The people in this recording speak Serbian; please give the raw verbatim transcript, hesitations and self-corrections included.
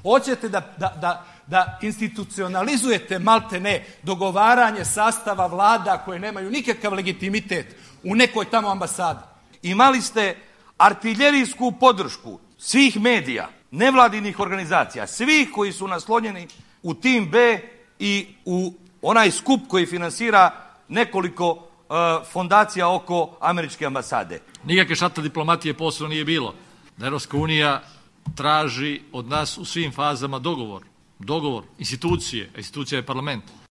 Hoćete da, da, da, da institucionalizujete malte ne dogovaranje sastava vlada koje nemaju nikakav legitimitet u nekoj tamo ambasadi. Imali ste artiljerijsku podršku svih medija, nevladinih organizacija, svih koji su naslonjeni u tim B i u onaj skup koji finansira nekoliko uh, fondacija oko američke ambasade. Nikakve šata diplomatije posebno nije bilo. Da Evropska unija traži od nas u svim fazama dogovor. Dogovor institucije, a institucija je parlament.